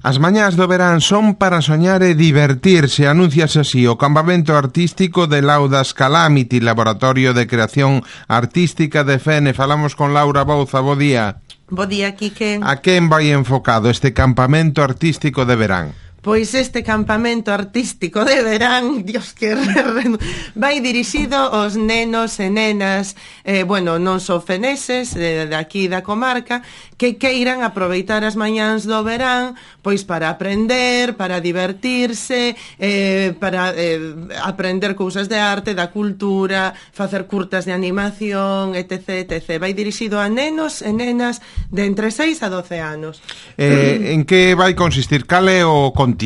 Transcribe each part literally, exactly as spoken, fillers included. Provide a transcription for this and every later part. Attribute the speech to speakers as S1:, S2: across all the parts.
S1: As mañás do verán son para soñar e divertirse, anuncias así o campamento artístico de Laudas Calamity, Laboratorio de Creación Artística de Fene. Falamos con Laura Bouza, bo día.
S2: Bo día, Quique.
S1: A quen vai enfocado este campamento artístico de verán?
S2: Pois este campamento artístico de verán, Dios, que vai dirixido aos nenos e nenas, eh, bueno, non só feneses, de, de aquí da comarca, que queiran aproveitar as mañáns do verán, pois para aprender, para divertirse, eh, para eh, aprender cousas de arte, da cultura, facer curtas de animación, etc, etcétera. Vai dirixido a nenos e nenas de entre seis a doce anos.
S1: Eh, en que vai consistir? Cal é o contido?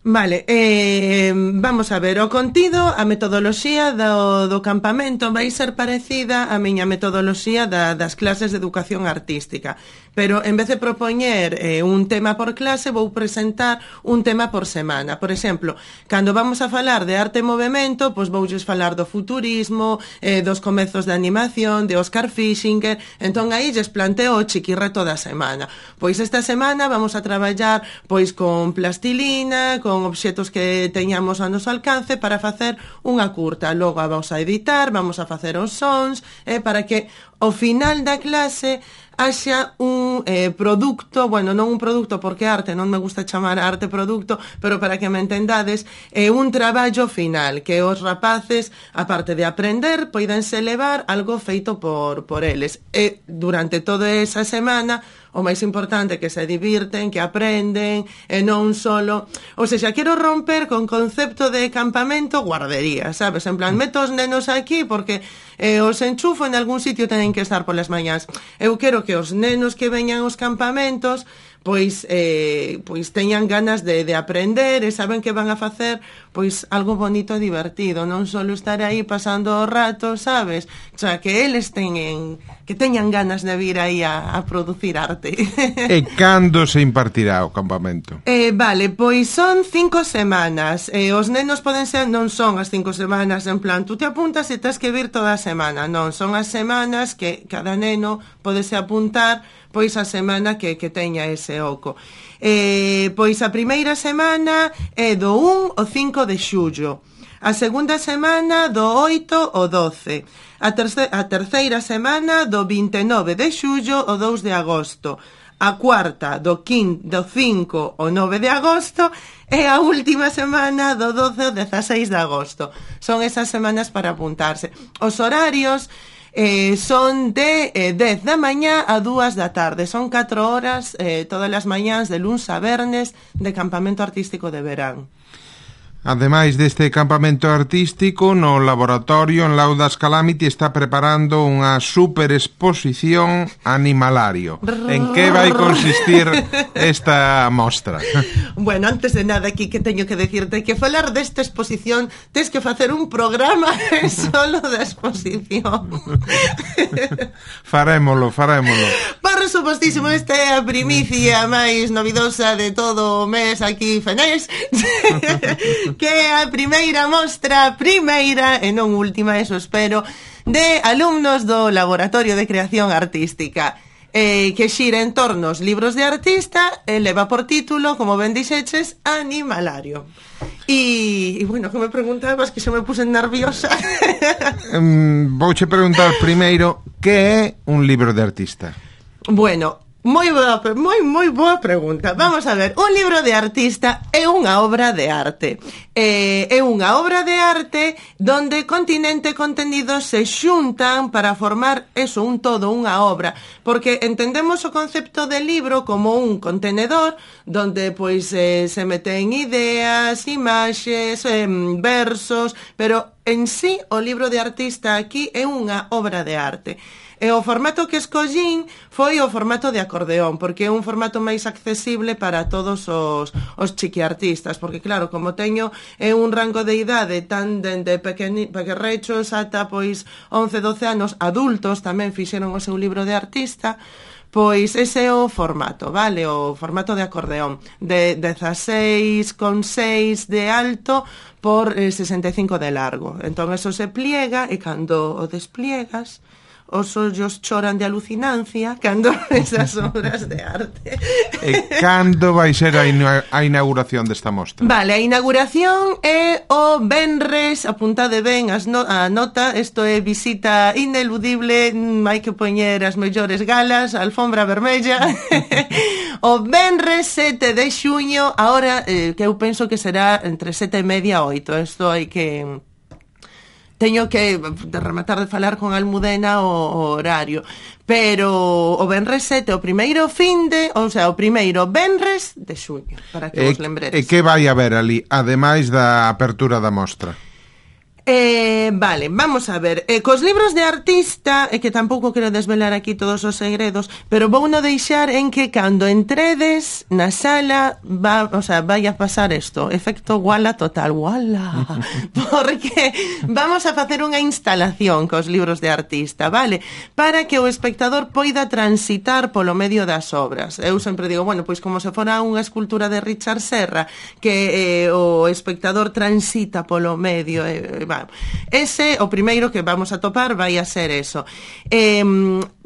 S2: Vale, eh, vamos a ver, o contido, a metodoloxía do, do campamento vai ser parecida á miña metodoloxía da, das clases de educación artística, pero en vez de propoñer eh, un tema por clase, vou presentar un tema por semana. Por exemplo, cando vamos a falar de arte e movemento, pois voulles falar do futurismo, eh, dos comezos de animación, de Oscar Fischinger, entón aí lles planteo o chiquirreto da semana. Pois esta semana vamos a traballar pois con plastilina, con con obxetos que teñamos a noso alcance para facer unha curta. Logo a vamos a editar, vamos a facer os sons, eh, para que ao final da clase haxa un eh, produto, bueno, non un produto porque arte, non me gusta chamar arte produto, pero para que me entendades, é eh, un traballo final, que os rapaces, aparte de aprender, poidense levar algo feito por, por eles. E durante toda esa semana, o máis importante é que se divirten, que aprenden, e non solo... O sea, quero romper con concepto de campamento guardería, sabes? En plan, meto os nenos aquí porque eh, os enchufo en algún sitio, tenen que estar polas mañás. Eu quero que os nenos que veñan aos campamentos pois eh, pois teñan ganas de, de aprender e saben que van a facer pois algo bonito e divertido, non só estar aí pasando o rato, sabes? O sea, que eles teñen que teñan ganas de vir aí a, a producir arte.
S1: E cando se impartirá o campamento?
S2: Eh, vale, pois son cinco semanas. Eh, os nenos poden ser, non son as cinco semanas en plan, tú te apuntas e tens que vir toda a semana, non, son as semanas que cada neno podese apuntar pois a semana que, que teña ese oco. Eh, pois a primeira semana é do un ao cinco de xullo, a segunda semana do oito ao doce, a, terce- a terceira semana do vinte e nove de xullo ao dous de agosto, a cuarta do, quin- do cinco ao nove de agosto e a última semana do doce ao dezaseis de agosto. Son esas semanas para apuntarse. Os horarios Eh, son de eh, dez da mañá a dúas da tarde. Son catro horas eh, todas as mañás de luns a vernes de campamento artístico de verán.
S1: Ademais deste campamento artístico, no laboratorio en Laudas Calamity está preparando unha super exposición animalario. En que vai consistir esta mostra?
S2: Bueno, antes de nada aquí que teño que decirte que falar desta exposición tes que facer un programa solo da exposición.
S1: Farémolo, farémolo.
S2: Por supostísimo, esta é a primicia máis novidosa de todo o mes aquí fenés, que é a primeira mostra, primeira e non última, eso espero, de alumnos do Laboratorio de Creación Artística, eh, que xira en torno aos libros de artista e leva por título, como ben dixeches, Animalario. E, e bueno, que me preguntabas, que se me puse nerviosa.
S1: um, Vouche preguntar primeiro, que é un libro de artista?
S2: Bueno, moi boa, moi, moi boa pregunta. Vamos a ver, un libro de artista é unha obra de arte. Eh, é unha obra de arte donde continente e contenido se xuntan para formar eso, un todo, unha obra. Porque entendemos o concepto de libro como un contenedor donde pois eh, se meten ideas, imaxes, eh, versos, pero en sí o libro de artista aquí é unha obra de arte. E o formato que escollín foi o formato de acordeón, porque é un formato máis accesible para todos os, os chiquiartistas, porque claro, como teño é un rango de idade tan dende pequerrechos ata pois once, doce anos, adultos tamén fixeron o seu libro de artista, pois ese é o formato, vale? O formato de acordeón, de dezaseis coma seis de alto por eh, sesenta e cinco de largo. Entón eso se pliega e cando o despliegas, os ollos choran de alucinancia cando esas obras de arte.
S1: E cando vai ser a, ina a inauguración desta mostra?
S2: Vale, a inauguración é o venres, apuntade ben as no a nota, isto é visita ineludible, hai que poñer as mellores galas, a alfombra vermella. O venres sete de xuño, ahora eh, que eu penso que será entre sete e media e oito, isto hai que... Teño que rematar de falar con Almudena o, o horario, pero o venres sete, o primeiro finde, ou sea, o primeiro venres de xuño, para que
S1: e,
S2: vos lembredes.
S1: E que vai haber ali, ademais da apertura da mostra?
S2: Eh, vale, vamos a ver. Eh, cos libros de artista, e eh, que tampouco quero desvelar aquí todos os segredos, pero vou no deixar en que cando entredes na sala, va, o sea, vai a pasar isto, efecto wala total, wala, porque vamos a facer unha instalación cos libros de artista, vale? Para que o espectador poida transitar polo medio das obras. Eu sempre digo, bueno, pois como se fora unha escultura de Richard Serra, que eh, o espectador transita polo medio, eh, va. Ese, o primeiro que vamos a topar vai a ser eso. Eh,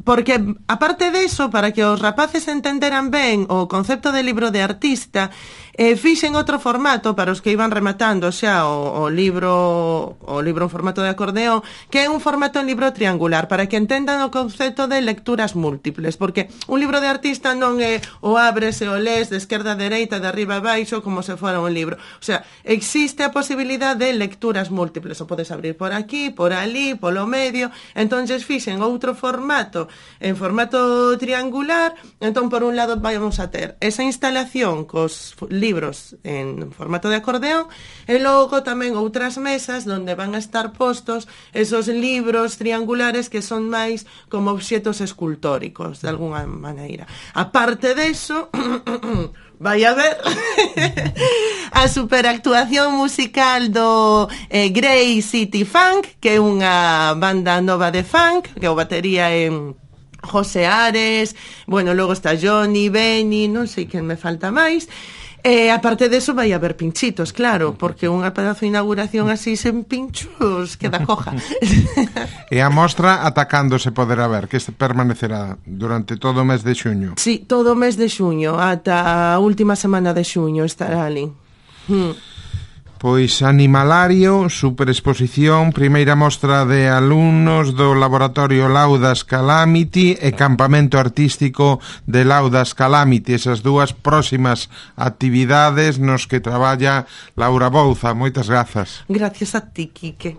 S2: porque, aparte de eso, para que os rapaces entenderan ben o concepto de libro de artista, eh, fixen outro formato para os que iban rematando xa o, o libro o libro en formato de acordeón, que é un formato en libro triangular, para que entendan o concepto de lecturas múltiples, porque un libro de artista non é o abres e o les de esquerda a dereita, de arriba a baixo, como se fora un libro. O sea, existe a posibilidad de lecturas múltiples, o podes abrir por aquí, por ali, polo medio. Entonces fixen outro formato en formato triangular. Entón, por un lado, vamos a ter esa instalación cos libros en formato de acordeón, e logo tamén outras mesas onde van a estar postos esos libros triangulares que son máis como obxetos escultóricos, de alguna maneira. Aparte deso, vai a ver a superactuación musical do eh, Grey City Funk, que é unha banda nova de funk, que o batería en José Ares, bueno, logo está Johnny, Benny, non sei quen me falta máis. E, aparte de eso, vai haber pinchitos, claro, porque unha pedazo de inauguración así sen pinchos queda coja.
S1: E a mostra atacando se poderá ver, que permanecerá durante todo o mes de xuño.
S2: Sí, todo o mes de xuño, ata a última semana de xuño estará ali. Hmm.
S1: Pois Animalario, superexposición, primeira mostra de alumnos do Laboratorio Laudas Calamity e campamento artístico de Laudas Calamity, esas dúas próximas actividades nos que traballa Laura Bouza. Moitas grazas.
S2: Gracias a ti, Quique.